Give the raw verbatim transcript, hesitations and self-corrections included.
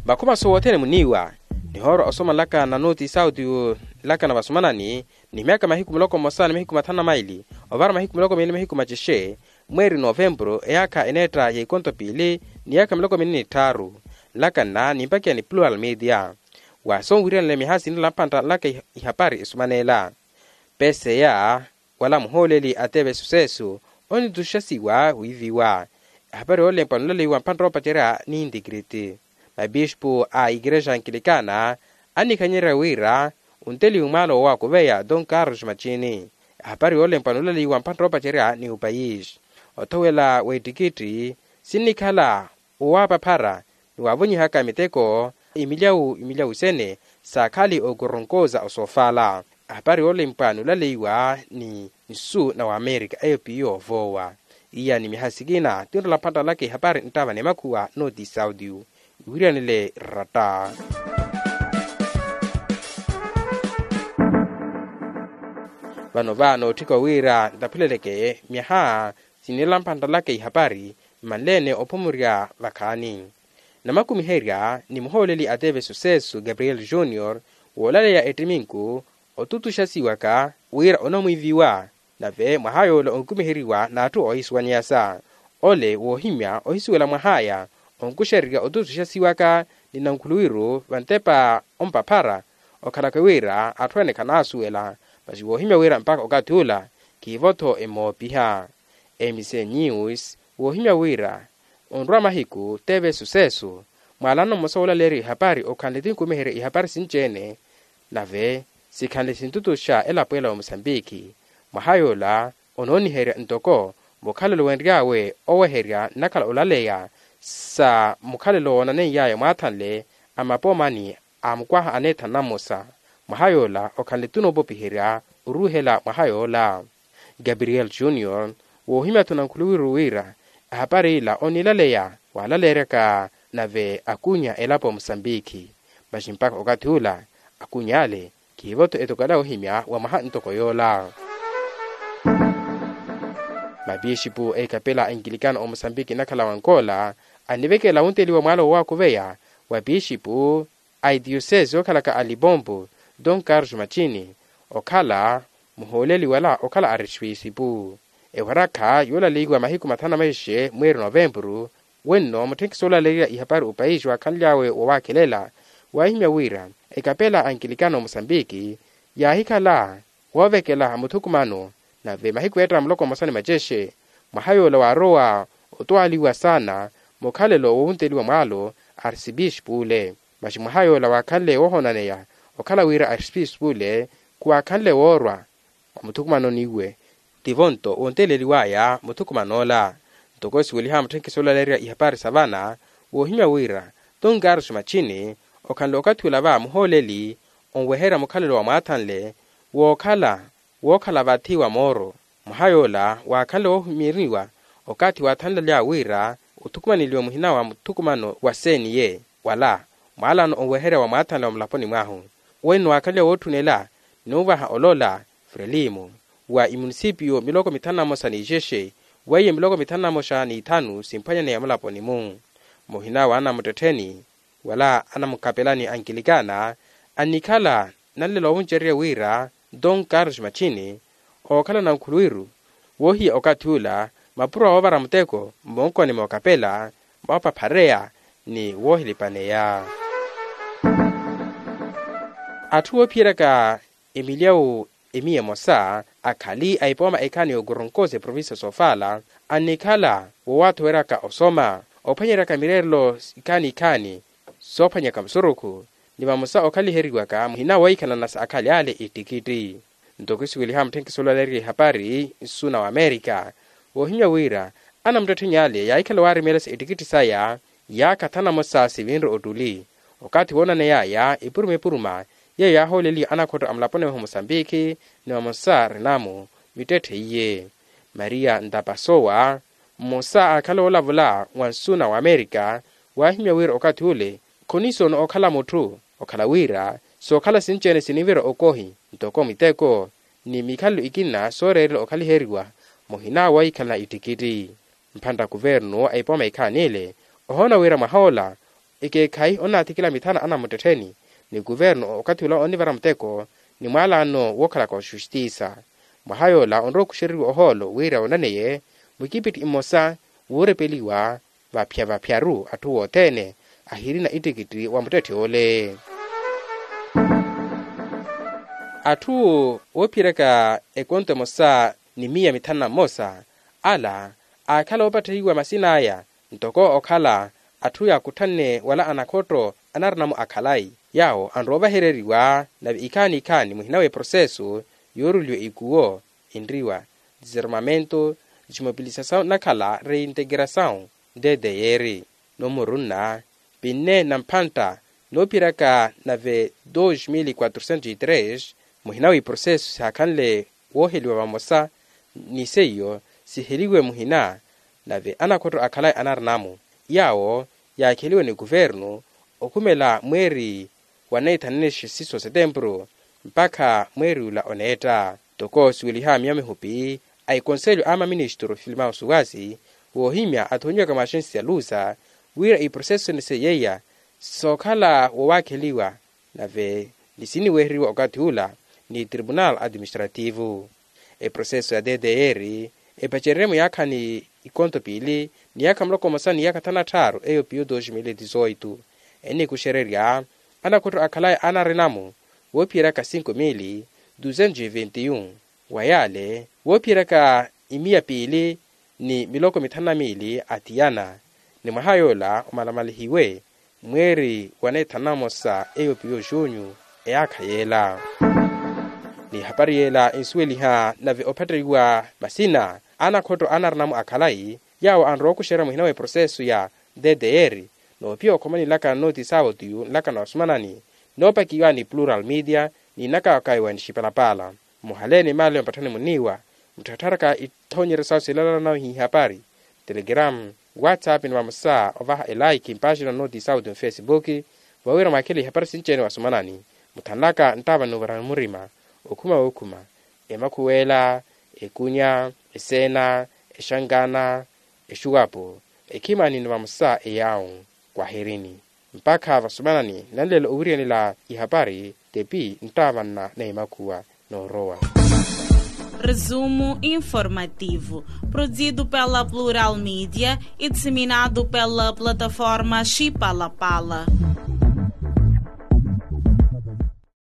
Makhuma sowothene muniiwa nihoorwa osoma nlaka na nooti sauti nlaka na vasumanani ni myaka mahiku muloko mmosa ni mahiku mathanu na maili ovara mahiku muloko miili mahiku macexe mweeri novempuru eyaakha eneetta ya ikonto piili ni yaakha miloko miili ni tthaaru. Nlaka nna nimpakiya ni plural media wa sonwiriyanle miha sinila mpantta nlaka ihapari esumaneela. Peseya wala muhooleli a teve susesu onitutuxasiwa wiiviwa ehapari yoolempwa nulaleiwa mpantta oopacerya ni intikiriti mapixpu a ikerexa ankilikana annikhanyerya wira onteliwe mwaalo woowakuveya don carlos macini. Ehapari yoolempwa nulaleiwa mpantta oopacerya ni opayisi othowela w'ettikitti sinnikhala woowapaphara ni wavonyihaka miteko imilyawu imilyawu sene saakhali okoronkoza osoofala. Ehapari yoolempwa nulaleiwa ni nsu na wamerika eyo piyo yoovoowa iya ni miha sikina tinrola mphantta nlaka ihapari nttava ni makhuwa nooti sauti iwiriyanile ratta. Vano va nootthika wira ntaphuleleke myaha sinirela mphantta nlaka ihapari mmanleene ophumurya vakhaani namakumiherya ni muhooleli a teve susesu gabriel junior woolaleya ettiminku otutuxasiwaka wira onamwiiviwa. Nave mwaha yoola onkumiheriwa n'atthu oohisuwaneyasa ole woohimya ohisuwela mwahaya onkuxererya otutuxasiwaka ni nankhuluwiru vantepa ompaphara okhalaka wira atthu ene khanaasuwela masi woohimya wira mpakha okathi ula khiivo-tho emoopiha. Mc news woohimya wira onrwa mahiku teve susesu mwaalano mmosa woolaleerya ihapari okhanle tinkumiherya ihapari sinci-ene nave sikhanle sintutuxa elapo ela wa musambiki. Mwaha yoola onooniherya ntoko mukhalelo wenry'awe oweherya nnakhala olaleya sa mukhalelo woonaneiy'aya mwaathanle a mapoomani a mukwaha aneethana mmosa. Mwaha yoola okhanle tunoopopiherya oruuhela mwaha yoola. Gabriel junior woohimya-tho nankhuluwiru wira ehapari ila oniilaleya waalaleeryaka nave akunya elapo ya musambiki masi mpakha okathi ula akunya ale khiivo-tho etokela ohimya wa mwaha ntoko yoola. Mapixipu a ikapela a inkilikano a musambiki nnakhala wa nkoola annivekela wunteliwa mwaalo woowakuveya wa pixipu a itiosese yookhalaka a lipompo don carlos macini okhala muhooleli wala okhala arespisipu ewarakha yoolaleiwa mahiku mathanu na maixexe mweeri novempuru wenno mutthenkisi oolaleerya ihapari opayisi waakhanly'awe woowakhelela waahimya wira ekapela a nkilikano musambiki yaahikhala woovekela muthukumano nave mahiku eetta muloko mmosa ni macexe mwaha yoola waarowa otwaliwa saana mukhalelo wowunteliwa mwaalo arsipisipule. Masi mwaha yoola waakhanle woohonaneya okhala wira arsipisipule khuwaakhanle woorwa omuthukumanoniwe tivo-nto wonteleliw'aya muthukuman'ola. Ntoko esiweliha mutthenkisi oolaleerya ihapari sa vana woohimya wira tunkaruxi machini okhanle okathi ula va muhooleli onweherya mukhalelo wa mwaathanle wookhala wookhala vathi wa mooro mwaha yoola waakhanle woohimyeriwa okathi waathanlelya wira othukumaneliwe muhina wa muthukumano wa seniye wala mwaalano onweherya wa mwaathanle wa mulaponi mwahu wenno waakhanle wootthunela ni ovaha olola frelimo wa imunisipiyo miloko mithanu na mmosa ni ixexe weiye miloko mithanu na mmosa ni ithanu simphwanyaneya mulaponi-mu muhina wa anamuttettheni wala anamukhapelani ankilikana annikhala nanlela ovuncererya wira don carlos machini ookhala nankhuluwiru woohiya okathi ula mapuro a woovara muteko mmonkoni mookapela moopaphareya ni woohilipaneya. Atthu woophiyeryaka emilyawu emiya emosa akhali a ipooma ekhaani y'okoronkosa eprovincia soofala annikhala woowathoweryaka osoma ophwanyeryaka mireerelo ikhaani ikhaani soophwanyaka musurukhu ni vamosa okhaliheriwaka muhina wohikhalana sa akhali ale ittikitti. Ntoko esiweliha mutthenkisi oolaleerya ihapari nsu na wamerika woohimya wira anamuttettheni ale yaahikhala waarimeelesa ittikitti saya yaakha thanu na mosa sivinre ottuli okathi woonaney'aya epuruma epuruma yeeyo yaahooleliwa anakhottho a mulaponi mwahu musambiki ni vamosa renamo mittetthe iye maria ntapasowa mmosa aakhala woolavula wa nsu na wamerika waahimya wira okathi ule khonisoona okhala mutthu okhala wira sookhala sinci-ene sinivira okohi ntoko miteko ni mikhalelo ikina sooreerela okhaliheriwa muhina wohikhalana ittikitti. Mphantta kuvernu a ipooma ikhaani ile ohoona wira mwaha ola Ekeekhayi onaathikila mithana anamuttettheni ni kuvernu okathi ula onivara muteko ni mwaalano wookhalaka oxustisa. Mwaha yoola onrowa okuxereriwa ohoolo wira onaneye mukipitthi mmosa wuurepeliwa vaphya vaphyaru atthu wothene ahirina ittikitti wa muttetthe ole. Atthu oophiyeryaka ekonto emosa ni miya mithanu na mmosa ala aakhala oopattheiwa masina aya ntoko okhala atthu yaakutthanne wala anakhotto anarinamu akhalayi yaawo anrowa ovahereriwa nave ikhaani ikhaani muhina w'eproseso yooruliwa ikuwo enriwa disarmamento dismobilisasaw nakhala reintegerasaw. Ddr noomurunna pinne na mphantta noophiyeryaka nave dos mil quatrocentos e tres muhina w'iproseso sihaakhanle wooheliwa vamosa ni seiyo siheliwe muhina nave anakhotto akhalayi anarinamu yaawo yaakheliwe ni kuvernu okhumela mweeri wa neethanene xisiso setempuru mpakha mweeri ula oneetta. Ntoko siweliha miya mihupi a ekonselho a maministro filimawo suwasi woohimya athonyiwaka mwaxensi ya lusa wira iproseso sene seiya sookhala wowaakheliwa nave ni siniwehereriwa okathi ula ni tribunal administrativo. Eproseso ya ddr epacererye muyaakhani ikonto piili ni yaakha muloko mmosa ni yaakha thanu na tthaaru eyo piyo dos mil dizoito enikuxererya anakhotto akhalayi anarinamu woophiyeryaka cinco mil duzentos e vinte e um wa yaale woophiyeryaka imiya piili ni miloko mithanu na miili athiyana ni mwaha yoola omalamalihiwe mweeri wa neethanu na mmosa eyo piyo junyu eyaakha yeela. Ni ehapari yeela ensuweliha nave ophatteyiwa masina anakhotto anarinamu akhalayi yaawo anrowa okuxerya muhina w'eproseso ya ddr noophiya okhomanilaka noti saawoti yu nlakano asumanani noopakiwa ni plural media ni nnakawakayiwa ni xipalapala. Muhaleeni maale mpatthani muniiwa muttharattharaka itthonyeryo sawo silalana nawe hihapari telegram whatsapp ni vamosa ovaha elaiki mpaaxina noti saawoti mufesibuki vawira mwaakhele ihapari sinci-ene wasumanani muthanlaka nttaava ni ovarani murima okhuma wookhuma emakhuwela ekunya eseena exankana exuwapo ekhimani ni vamosa eyaawu kwahirini mpakha vasumanani nanleela owiriyanela ihapari tepi nttaavanna na emakhuwa noorowa. Resumo informativo produzido pela plural media e disseminado pela plataforma xipalapala.